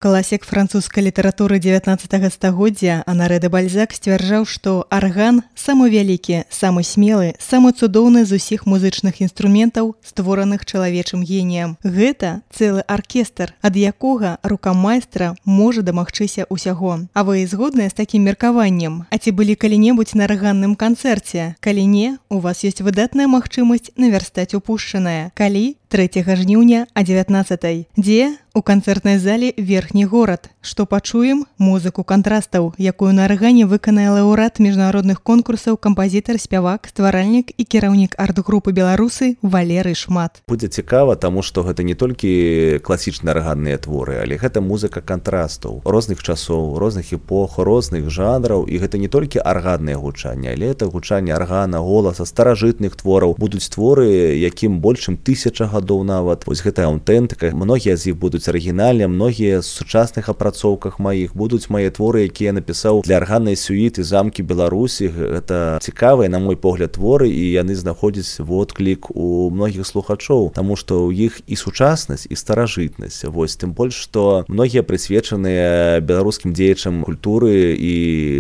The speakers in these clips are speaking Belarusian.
Класік французскай літаратуры 19 стагоддзя Анаре де Бальзак сцвярджаў, што арган самы вялікі, самы смелы, самы цудоўны з усіх музычных інструментаў, створаных чалавечым геніем. Гэта цэлы аркестр, ад якога рука майстра можа дамагчыся ўсяго. А вы згодныя з такім меркаваннем? А ці былі калі-небудзь на арганным канцэрце? Калі не, у вас ёсць выдатная магчымасць навярстаць упушчанае. Калі? 3 жніўня а 19. Дзе? У канцэртнай зале «Верхні горад». Што пачуем? Музыку кантрастаў, якую на аргане выканае лаўрэат міжнародных конкурсаў, кампазітар, спявак, стваральнік і кіраўнік арт-групы «Беларусы» Валерый Шмат. Будзе цікава, таму што гэта не толькі класічныя арганныя творы, але гэта музыка кантрастаў розных часоў, розных эпох, розных жанраў, і гэта не толькі арганнае гучанне, але это гучанне аргана, голаса, старажытных твораў. Будуць творы, якім больш чым 1000 гадоў нават. Вось гэта аўтэнтыка. Многія з іх будуць арыгінальныя, многія з сучасных апрацоўках маіх будуць мае творы, якія я напісаў для арганнай сюіты «Замкі Беларусі». Гэта цікавыя, на мой погляд, творы, і яны знаходзяць водклік у многіх слухачоў, таму што ў іх і сучаснасць, і старажытнасць. Вось, тым больш, што многія прысвечаныя беларускім дзеячам культуры і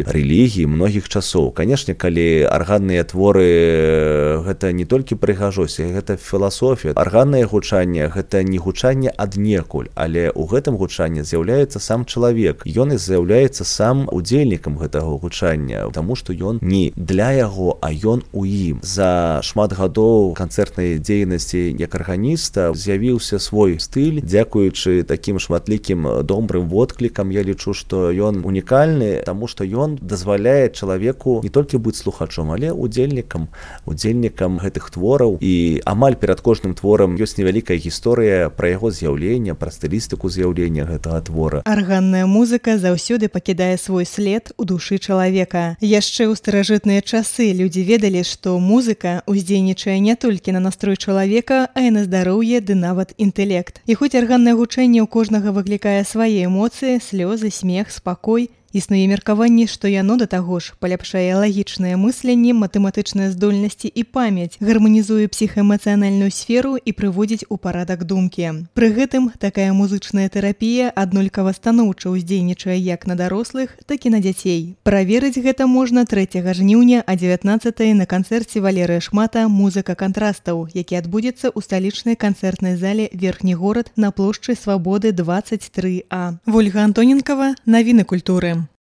рэлігіі многіх часоў. Канешне, калі арганныя творы гэта не толькі прыгажосць, гэта філасофія. Арганнае гучанне гэта не гучанне аднекуль, але ў гэтым гучанні з'яўляецца сам чалавек. Ён і з'яўляецца сам удзельнікам гэтага гучання, таму што ён не для яго, а ён у ім. За шмат гадоў канцэртнай дзейнасці як арганіста з'явіўся свой стыль, дзякуючы такім шматлікім добрым водклікам. Я лічу, што ён унікальны, таму што ён дазваляе чалавеку не толькі быць слухачом, але удзельнікам гэтых твораў. І амаль перад кожным творам ёсць невялікая гісторыя пра яго з'яўленне, пра стылістыку з'яўлення гэтага твора. Арганная музыка заўсёды пакідае свой след у душы чалавека. Яшчэ ў старажытныя часы людзі ведалі, што музыка ўздзейнічае не толькі на настрой чалавека, а і на здароўе ды нават інтэлект. І хоць арганнае гучанне ў кожнага выклікае свае эмоцыі, слёзы, смех, спакой, існуе меркаванне, што яно да таго ж паляпшае лагічнае мысленне, матэматычныя здольнасці і памяць, гарманізуе псіхаэмацыянальную сферу і прыводзіць у парадак думкі. Пры гэтым такая музычная тэрапія аднолькава станоўча ўздзейнічае як на дарослых, так і на дзяцей. Праверыць гэта можна 3 жніўня а 19 на канцэрце Валерыя Шмата «Музыка кантрастаў», які адбудзецца ў сталічнай канцэртнай зале «Верхні горад» на плошчы Свабоды 23А. Вольга Антоненкава, навіны культуры.